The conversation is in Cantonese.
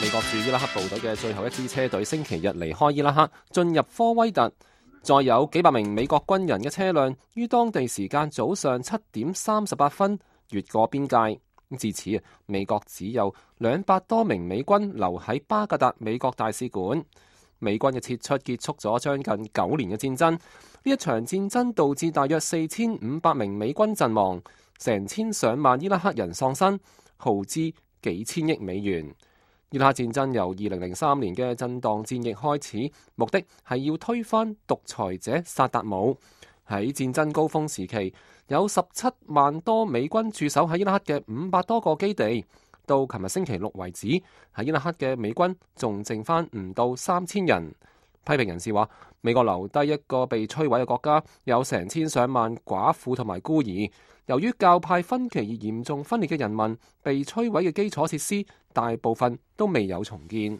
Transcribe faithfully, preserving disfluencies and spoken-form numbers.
美國駐伊拉克部隊嘅最後一支車隊星期日離開伊拉克，進入科威特。再有幾百名美國軍人嘅車輛於當地時間早上七點三十八分越過邊界。至此，美國只有兩百多名美軍留喺巴格達美國大使館。美軍嘅撤出結束咗將近九年嘅戰爭。呢一場戰爭導致大約四千五百名美軍陣亡，成千上萬伊拉克人喪生，耗資幾千億美元。伊拉克戰爭由二零零三年嘅震盪戰役開始，目的係要推翻獨裁者薩達姆。喺戰爭高峰時期，有十七萬多美軍駐守喺伊拉克嘅五百多個基地。到琴日星期六為止，喺伊拉克嘅美軍仲剩翻唔到三千人。批評人士話，美國留低一個被摧毀嘅國家，有成千上萬寡婦同埋孤兒。由於教派分歧而嚴重分裂嘅人民，被摧毀嘅基礎設施大部分都未有重建。